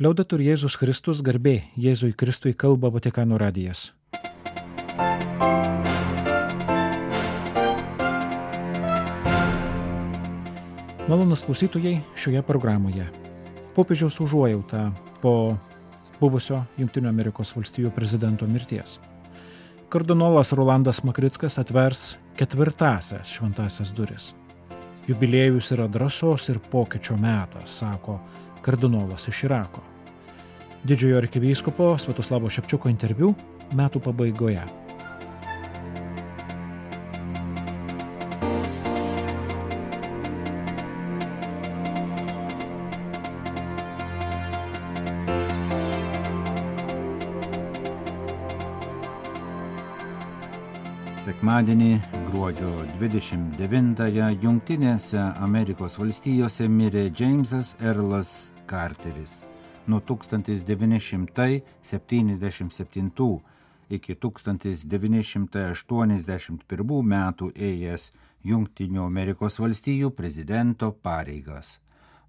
Liaudetur Jėzus Kristus, garbė Jėzui Kristui, kalba Vatikano radijas. Malonūs klausytojai, šioje programoje popiežiaus užuojauta po buvusio Jungtinių Amerikos valstijų prezidento mirties. Kardinolas Rolandas Makrickas atvers 4-asias šventąsias duris. Jubiliejus yra drąsos ir pokyčio metas, sako kardinolas iš Irako. Didžiojo arkivyskupo Sviatoslavo Ševčiuko interviu metų pabaigoje. Sekmadienį, gruodžio 29-ąją, Jungtinėse Amerikos valstijose mirė Džeimsas Erlas Carteris. Nuo 1977 iki 1981 metų ėjęs Jungtinių Amerikos valstijų prezidento pareigas.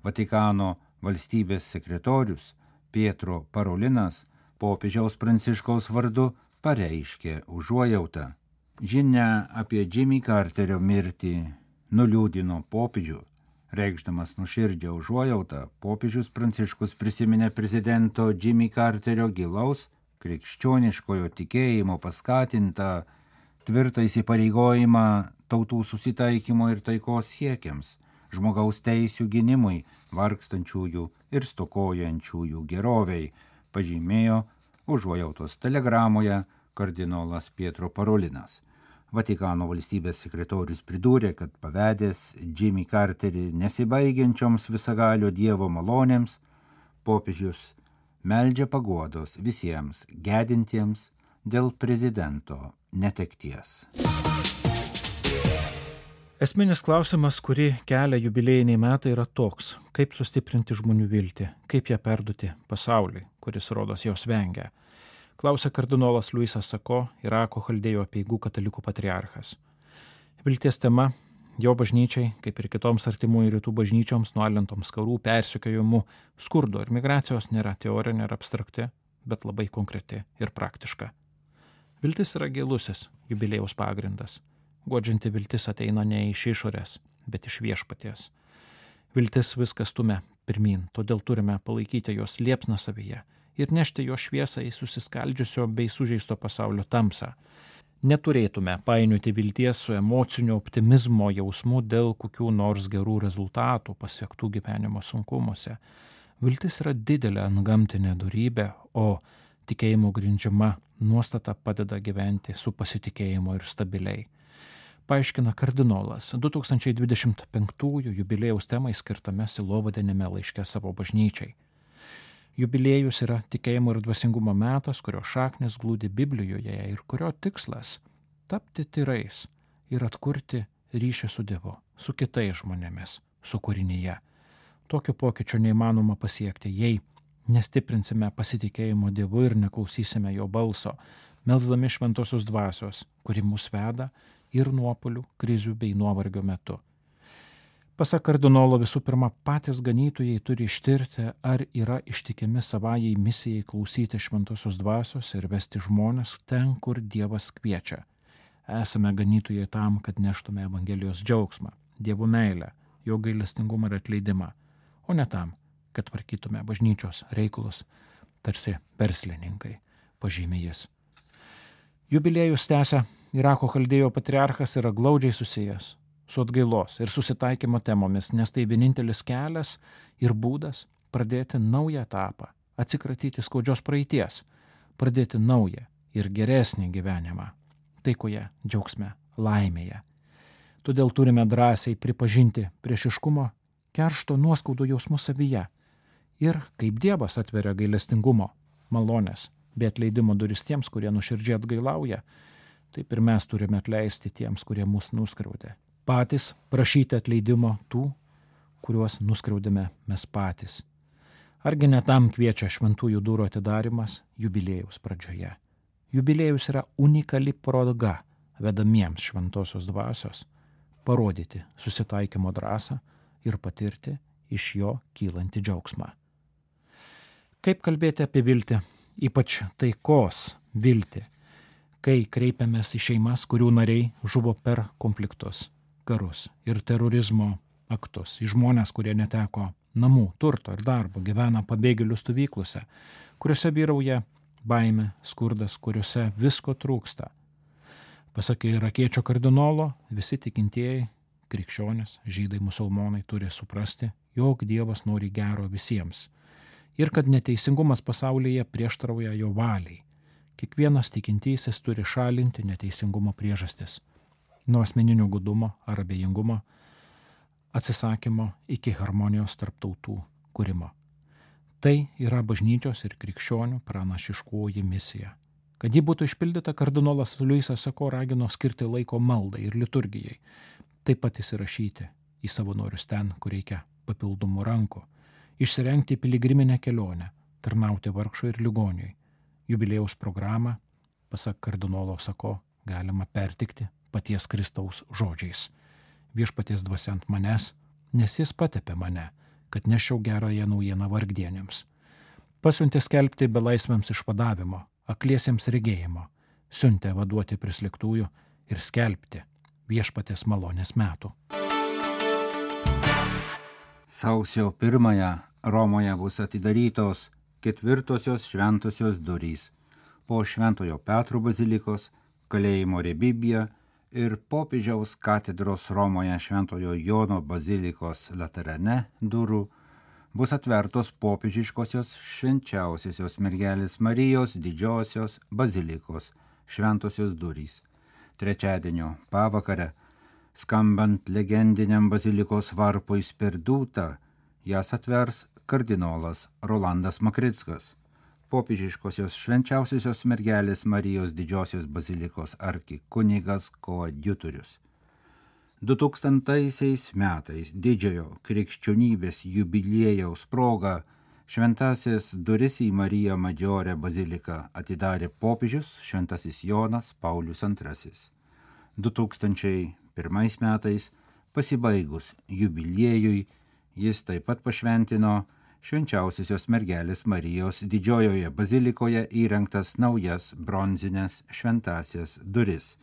Vatikano valstybės sekretorius Pietro Parolinas popiežiaus Pranciškaus vardu pareiškė užuojautą. Žinia apie Jimmy Carterio mirtį nuliūdino popiežių. Reikšdamas nuoširdžią užuojautą, popiežius Pranciškus prisiminė prezidento Jimmy Carterio gilaus krikščioniškojo tikėjimo paskatintą tvirtą įsipareigojimą tautų susitaikymo ir taikos siekiams, žmogaus teisių gynimui, vargstančiųjų ir stokojančiųjų geroviai, pažymėjo užuojautos telegramoje kardinolas Pietro Parolinas. Vatikano valstybės sekretorius pridūrė, kad pavedęs Jimmy Carterį nesibaigiančioms visagalio Dievo malonėms, popiežius meldžia paguodos visiems gedintiems dėl prezidento netekties. Esminis klausimas, kurį kelia jubiliejiniai metai, yra toks: kaip sustiprinti žmonių viltį, kaip ją perduoti pasauliui, kuris rodos jos vengia. Klausia kardinolas Luisas Sako, Irako chaldėjų apeigų katalikų patriarchas. Vilties tema jo bažnyčiai, kaip ir kitoms artimųjų rytų bažnyčioms, nualintoms karų, persekiojimų, skurdo ir migracijos nėra teorinė ir abstrakti, bet labai konkreti ir praktiška. Viltis yra gilusis jubiliejaus pagrindas. Guodžianti viltis ateina ne iš išorės, bet iš viešpaties. Viltis viskas stumia pirmyn, todėl turime palaikyti jos liepsną savyje ir nešti jo šviesą į susiskaldžiusio bei sužeisto pasaulio tamsą. Neturėtume painioti vilties su emocinio optimizmo jausmu dėl kokių nors gerų rezultatų pasiektų gyvenimo sunkumuose. Viltis yra didelė antgamtinė dorybė, o tikėjimo grindžiama nuostata padeda gyventi su pasitikėjimu ir stabiliai. Paaiškina kardinolas 2025 jubiliejaus temai skirtame sielovadinėme laiške savo bažnyčiai. Jubiliejus yra tikėjimo ir dvasingumo metas, kurio šaknis glūdi Biblijoje ir kurio tikslas – tapti tyrais ir atkurti ryšį su Dievu, su kitais žmonėmis, su kūrinyje. Tokio pokyčio neįmanoma pasiekti, jei nestiprinsime pasitikėjimo Dievu ir neklausysime jo balso, melsdami šventosios dvasios, kuri mus veda ir nuopuolių, krizių bei nuovargio metu. Pasak kardinolo, visų pirma, patys ganytojai turi ištirti, ar yra ištikimi savajai misijai klausyti šventosios dvasios ir vesti žmones ten, kur Dievas kviečia. Esame ganytojai tam, kad neštume Evangelijos džiaugsmą, Dievo meilę, jo gailestingumą ir atleidimą, o ne tam, kad tvarkytume bažnyčios reikalus, tarsi verslininkai, pažymi jis. Jubiliejus tęsia, Irako chaldėjo patriarchas yra glaudžiai susijęs su atgailos ir susitaikymo temomis, nes tai vienintelis kelias ir būdas pradėti naują etapą, atsikratyti skaudžios praeities, pradėti naują ir geresnį gyvenimą, taikoje, džiaugsme, laimėje. Todėl turime drąsiai pripažinti priešiškumo, keršto, nuoskaudų jausmus savyje ir kaip Dievas atveria gailestingumo, malonės bei atleidimo duris tiems, kurie nuoširdžiai atgailauja, taip ir mes turime atleisti tiems, kurie mus nuskriaudė. Patys prašyti atleidimo tų, kuriuos nuskriaudėme mes patys. Argi ne tam kviečia šventųjų durų atidarimas jubiliejaus pradžioje. Jubiliejus yra unikali proga vedamiems šventosios dvasios parodyti susitaikymo drąsą ir patirti iš jo kylantį džiaugsmą. Kaip kalbėti apie viltį, ypač taikos viltį, kai kreipiamės į šeimas, kurių nariai žuvo per konfliktus, karus ir terorizmo aktus, į žmonės, kurie neteko namų, turto ir darbo, gyvena pabėgėlių stovyklose, kuriuose vyrauja baimė, skurdas, kuriuose visko trūksta. Pasak irakiečio kardinolo, visi tikintieji, krikščionys, žydai, musulmonai turi suprasti, jog Dievas nori gero visiems ir kad neteisingumas pasaulyje prieštarauja jo valiai. Kiekvienas tikintysis turi šalinti neteisingumo priežastis, nuo asmeninio godumo ar abejingumo, atsisakymo iki harmonijos tarp tautų kūrimo. Tai yra bažnyčios ir krikščionių pranašiškoji misija. Kad ji būtų išpildyta, kardinolas Luisas Sako ragino skirti laiko maldai ir liturgijai, taip pat įsirašyti į savanorius ten, kur reikia papildomų rankų, išsirengti piligriminę kelionę, tarnauti vargšui ir ligoniui. Jubiliejaus programą, pasak kardinolo Sako, galima pertikti paties Kristaus žodžiais. Viešpaties dvasia ant manęs, nes jis patepė mane, kad neščiau gerąją naujieną vargdienėms. Pasiuntė skelbti belaisviams išvadavimo, akliesiems regėjimo, siuntė vaduoti prislėgtųjų ir skelbti viešpaties malonės metų. Sausio 1 Romoje bus atidarytos 4 šventosios durys po Šventojo Petro bazilikos, kalėjimo Rebibija ir popiežiaus katedros Romoje Šventojo Jono bazilikos Laterane durų bus atvertos popiežiškosios švenčiausiosios mergelės Marijos didžiosios bazilikos šventosios durys. Trečiadienio pavakare, skambant legendiniam bazilikos varpui Sperdūta, jas atvers kardinolas Rolandas Makrickas, popiežiškosios švenčiausiosios mergelės Marijos didžiosios bazilikos arkikunigas koadjutorius. 2000 metais didžiojo krikščionybės jubiliejaus proga šventasis duris į Mariją Madžiorę baziliką atidarė popiežius šventasis Jonas Paulius II. 2001 metais pasibaigus jubiliejui jis taip pat pašventino švenčiausiosios mergelės Marijos didžiojoje bazilikoje įrengtas naujas bronzines šventasias duris.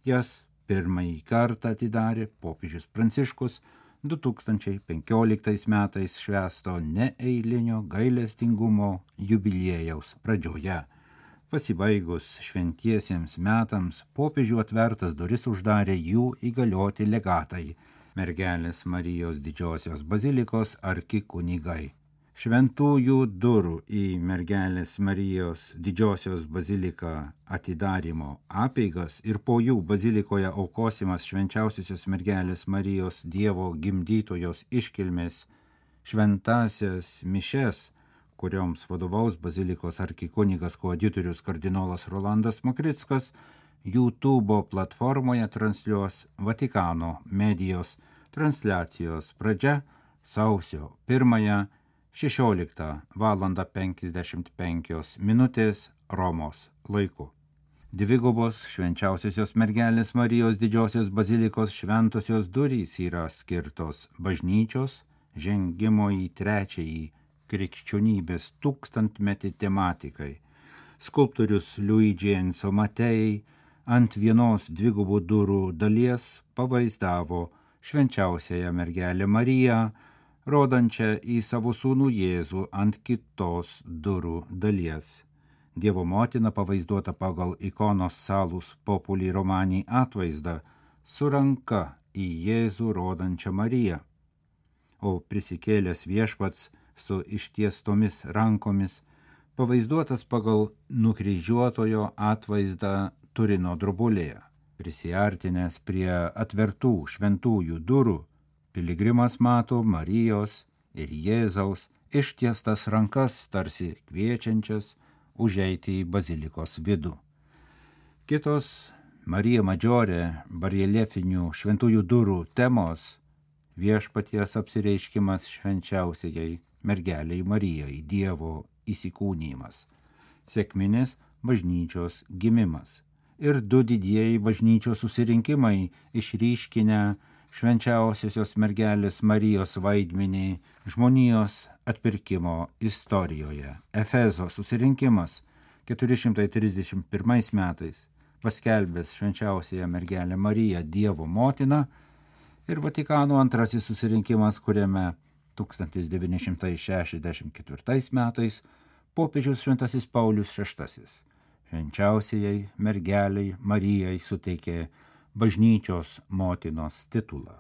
Jas pirmąjį kartą atidarė popiežius Pranciškus 2015 metais švęsto neeilinio gailestingumo jubiliejaus pradžioje. Pasibaigus šventiesiems metams popiežių atvertas duris uždarė jų įgalioti legatai, mergelės Marijos didžiosios bazilikos arkikunigai. Šventųjų durų į mergelės Marijos didžiosios baziliką atidarymo apeigas ir po jų bazilikoje aukosimas švenčiausiosios mergelės Marijos Dievo gimdytojos iškilmės šventasias mišes, kurioms vadovaus bazilikos arkikunigas koadjutorius kardinolas Rolandas Makrickas, YouTube platformoje transliuos Vatikano medijos. Transliacijos pradžia sausio 1 16:55 Romos laiku. Dvigubos švenčiausiosios mergelės Marijos didžiosios bazilikos šventosios durys yra skirtos bažnyčios žengimo į trečiąjį krikščionybės tūkstantmetį tematikai. Skulptorius Luigi Enzo Matei ant vienos dvigubų durų dalies pavaizdavo švenčiausiąją mergelę Mariją, rodančią į savo sūnų Jėzų ant kitos durų dalies. Dievo motina pavaizduota pagal ikonos Salus Populi Romani atvaizdą su ranka į Jėzų rodančią Mariją, o prisikėlęs viešpats su ištiestomis rankomis pavaizduotas pagal nukryžiuotojo atvaizdą Turino drobulėje. Prisiartinęs prie atvertų šventųjų durų, piligrimas mato Marijos ir Jėzaus ištiestas rankas tarsi kviečiančias užeiti į bazilikos vidų. Kitos Marija Madžiorė bareljefinių šventųjų durų temos – viešpaties apsireiškimas švenčiausiai mergeliai Marijai, Dievo įsikūnijimas, sekminis bažnyčios gimimas ir du didieji bažnyčios susirinkimai išryškinę švenčiausiosios mergelės Marijos vaidmenį žmonijos atpirkimo istorijoje. Efezo susirinkimas 431 metais paskelbęs švenčiausiąją mergelę Mariją Dievo motiną ir Vatikano antrasis susirinkimas, kuriame 1964 metais popiežius Šventasis Paulius VI švenčiausiajai mergeliai Marijai suteikė bažnyčios motinos titulą.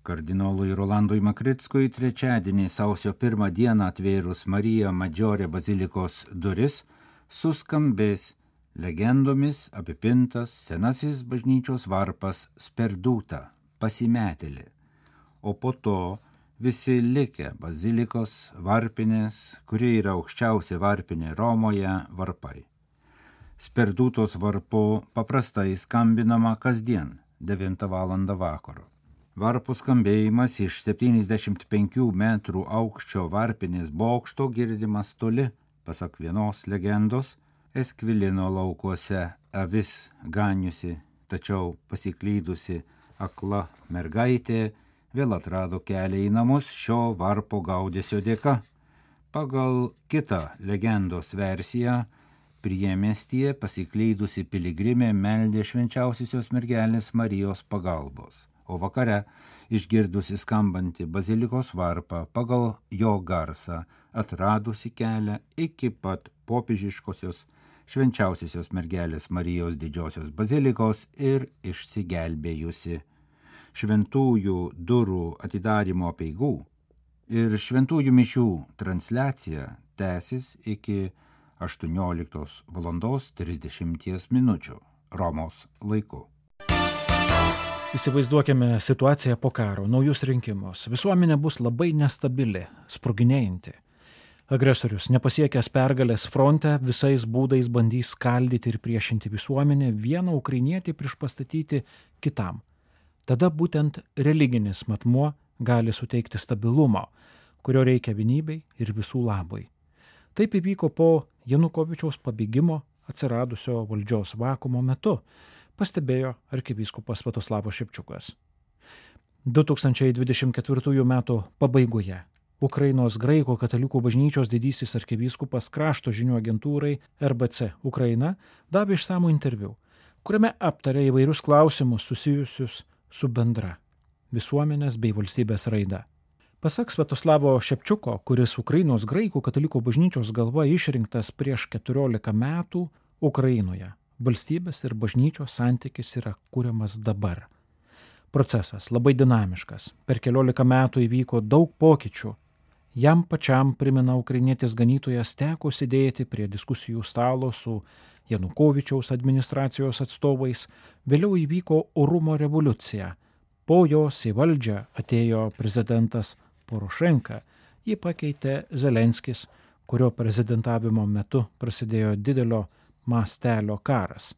Kardinolui Rolandui Makrickui trečiadienį sausio 1 dieną atvėrus Marija Maggiore bazilikos duris suskambės legendomis apipintas senasis bažnyčios varpas Sperduta, pasimetėlė, o po to visi likę bazilikos varpinės, kuri yra aukščiausia varpinė Romoje, varpai. Sperdutos varpu paprastai skambinama kasdien 9 val. Vakaro. Varpų skambėjimas iš 75 metrų aukščio varpinės bokšto girdimas toli, pasak vienos legendos, Eskvilino laukuose avis ganiusi, tačiau pasiklydusi akla mergaitė vėl atrado kelią į namus šio varpo gaudesio dėka. Pagal kitą legendos versiją, priemiestyje pasiklydusi piligrimė meldė švenčiausiosios mergelės Marijos pagalbos, o vakare, išgirdusi skambantį bazilikos varpą, pagal jo garsą atradusi kelią iki pat popiežiškosios švenčiausiosios mergelės Marijos didžiosios bazilikos ir išsigelbėjusi. Šventųjų durų atidarymo apeigų ir šventųjų mišių transliacija tęsis iki 18:30 Romos laiku. Įsivaizduokime situaciją po karo, naujus rinkimus. Visuomenė bus labai nestabili, sproginėjanti. Agresorius, nepasiekęs pergalės fronte, visais būdais bandys skaldyti ir priešinti visuomenę, vieną ukrainietį priešpastatyti kitam. Tada būtent religinis matmuo gali suteikti stabilumo, kurio reikia vienybei ir visų labui. Taip įvyko po Janukovičiaus pabėgimo atsiradusio valdžios vakuumo metu, pastebėjo arkivyskupas Sviatoslavas Šepčiukas. 2024 metų pabaigoje Ukrainos graikų katalikų bažnyčios didysis arkivyskupas krašto žinių agentūrai RBC Ukraina davė išsamų interviu, kuriame aptarė įvairius klausimus susijusius su bendra visuomenės bei valstybės raida. Pasak Sviatoslavo Šepčiuko, kuris Ukrainos graikų katalikų bažnyčios galva išrinktas prieš 14 metų Ukrainoje, valstybės ir bažnyčios santykis yra kuriamas dabar. Procesas labai dinamiškas. Per 14 metų įvyko daug pokyčių. Jam pačiam, primena ukrainietis ganytojas, teko sėdėti prie diskusijų stalo su Janukovičiaus administracijos atstovais. Vėliau įvyko orumo revoliucija. Po jos į valdžią atėjo prezidentas Porošenka. Jį pakeitė Zelenskis, kurio prezidentavimo metu prasidėjo didelio mastelio karas.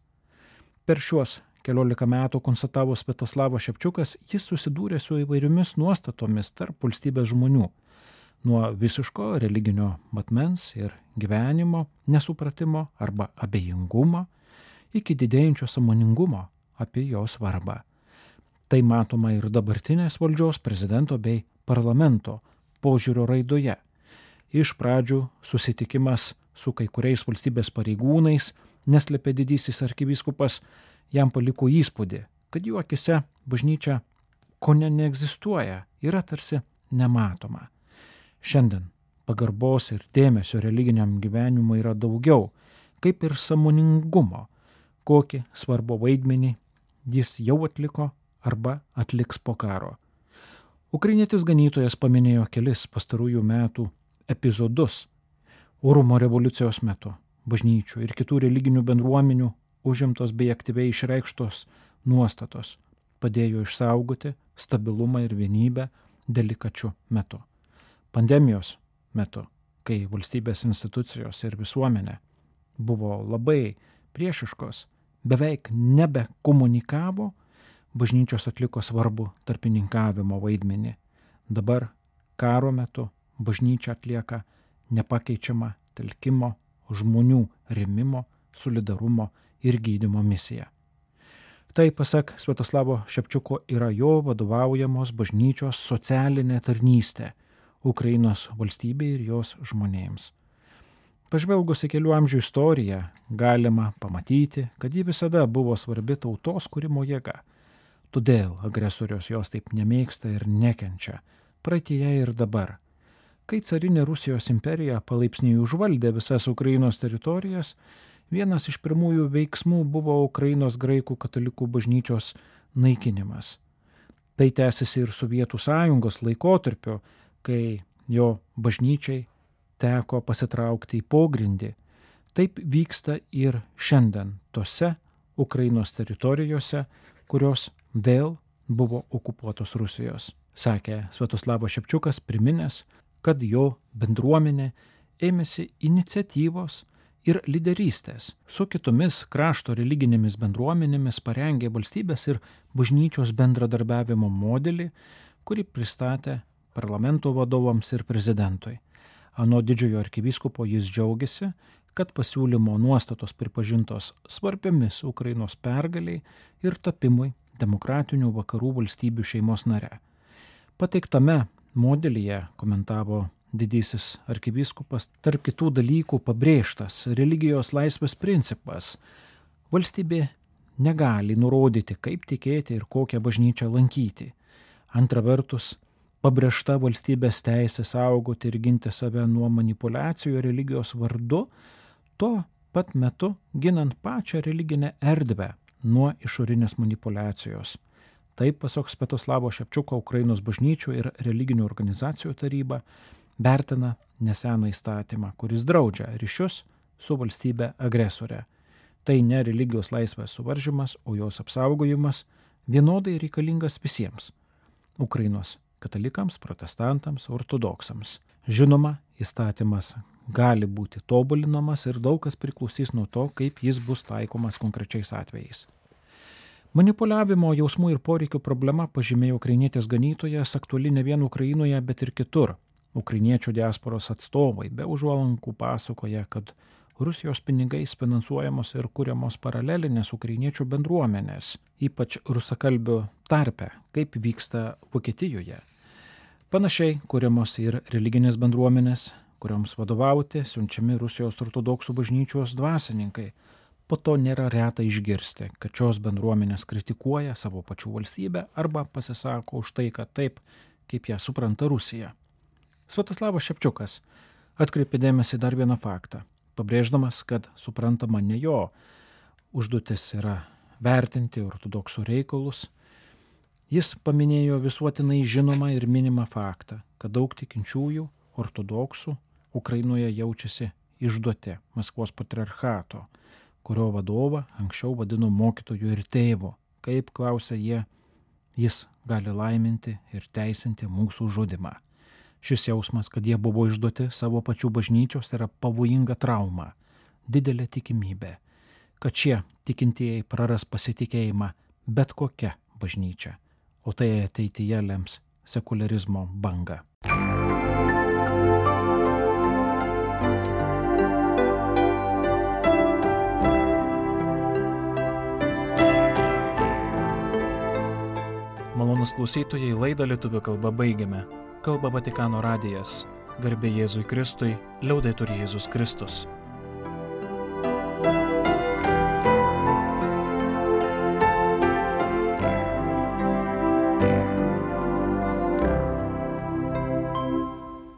Per šiuos 14 metų, konstatavo Sviatoslavas Šepčiukas, jis susidūrė su įvairiomis nuostatomis tarp valstybės žmonių. Nuo visiško religinio matmens ir gyvenimo nesupratimo arba abejingumo iki didėjančio sąmoningumo apie jo svarbą. Tai matoma ir dabartinės valdžios prezidento bei parlamento požiūrio raidoje. Iš pradžių susitikimas su kai kuriais valstybės pareigūnais, neslėpė didysis arkivyskupas, jam paliko įspūdį, kad jų akise bažnyčia kone neegzistuoja, yra tarsi nematoma. Šiandien pagarbos ir dėmesio religiniam gyvenimui yra daugiau, kaip ir sąmoningumo, kokį svarbų vaidmenį jis jau atliko arba atliks po karo. Ukrainietis ganytojas paminėjo kelis pastarųjų metų epizodus orumo revoliucijos metu, bažnyčių ir kitų religinių bendruomenių užimtos bei aktyviai išreikštos nuostatos padėjo išsaugoti stabilumą ir vienybę delikačiu metu. Pandemijos metu, kai valstybės institucijos ir visuomenė buvo labai priešiškos, beveik nebekomunikavo, bažnyčios atliko svarbų tarpininkavimo vaidmenį. Dabar karo metu bažnyčia atlieka nepakeičiamą telkimo, žmonių rėmimo, solidarumo ir gydymo misiją. Tai, pasak Sviatoslavo Šepčiuko, yra jo vadovaujamos bažnyčios socialinė tarnystė Ukrainos valstybei ir jos žmonėms. Pažvelgus į kelių amžių istoriją, galima pamatyti, kad ji visada buvo svarbi tautos kūrimo jėga. Todėl agresorius jos taip nemėgsta ir nekenčia, praeityje ir dabar. Kai carinė Rusijos imperija palaipsniui užvaldė visas Ukrainos teritorijas, vienas iš pirmųjų veiksmų buvo Ukrainos graikų katalikų bažnyčios naikinimas. Tai tęsiasi ir Sovietų sąjungos laikotarpiu, kai jo bažnyčiai teko pasitraukti į pogrindį. Taip vyksta ir šiandien tose Ukrainos teritorijose, kurios vėl buvo okupuotos Rusijos, sakė Sviatoslavas Šepčiukas, priminęs, kad jo bendruomenė ėmėsi iniciatyvos ir lyderystės su kitomis krašto religinėmis bendruomenėmis, parengė valstybės ir bažnyčios bendradarbiavimo modelį, kurį pristatė parlamento vadovams ir prezidentui. Anot didžiojo arkivyskupo jis džiaugiasi, kad pasiūlymo nuostatos pripažintos svarbiomis Ukrainos pergaliai ir tapimui demokratinių vakarų valstybių šeimos nare. Pateiktame modelyje, komentavo didysis arkivyskupas, tarp kitų dalykų pabrėžtas religijos laisvės principas. Valstybė negali nurodyti, kaip tikėti ir kokią bažnyčią lankyti. Antra vertus, pabrėžta valstybės teisė saugoti ir ginti save nuo manipulacijų religijos vardu, tuo pat metu ginant pačią religinę erdvę nuo išorinės manipulacijos. Taip, pasak Sviatoslavo Šepčiuko, Ukrainos bažnyčių ir religinių organizacijų taryba vertina neseną įstatymą, kuris draudžia ryšius su valstybe agresorė. Tai ne religijos laisvės suvaržymas, o jos apsaugojimas vienodai reikalingas visiems – Ukrainos katalikams, protestantams, ortodoksams. Žinoma, įstatymas gali būti tobulinamas ir daug kas priklausys nuo to, kaip jis bus taikomas konkrečiais atvejais. Manipuliavimo jausmų ir poreikių problema, pažymėjo ukrainietės ganytojas, aktuali ne vien Ukrainoje, bet ir kitur. Ukrainiečių diasporos atstovai be užuolankų pasakoja, kad Rusijos pinigais finansuojamos ir kuriamos paralelinės ukrainiečių bendruomenės, ypač rusakalbių tarpe, kaip vyksta Vokietijoje. Panašiai kuriamos ir religinės bendruomenės, kurioms vadovauti siunčiami Rusijos ortodoksų bažnyčios dvasininkai. Po to nėra reta išgirsti, kad šios bendruomenės kritikuoja savo pačių valstybę arba pasisako už tai, kad taip, kaip ją supranta Rusija. Sviatoslavas Šepčiukas atkreipė dėmesį dar vieną faktą, pabrėždamas, kad suprantama ne jo užduotis yra vertinti ortodoksų reikalus. Jis paminėjo visuotinai žinomą ir minimą faktą, kad daug tikinčiųjų ortodoksų Ukrainoje jaučiasi išduoti Maskvos patriarchato, kurio vadovą anksčiau vadino mokytoju ir tėvu. Kaip klausia jie, jis gali laiminti ir teisinti mūsų žudimą. Šis jausmas, kad jie buvo išduoti savo pačių bažnyčios, yra pavojinga trauma, didelė tikimybė, kad šie tikintieji praras pasitikėjimą bet kokia bažnyčia, o tai ateityje lems sekularizmo bangą. Malonūs klausytojai, laidą lietuvių kalba baigiame. Kalba Vatikano radijas. Garbė Jėzui Kristui, liaudetur Jėzus Kristus.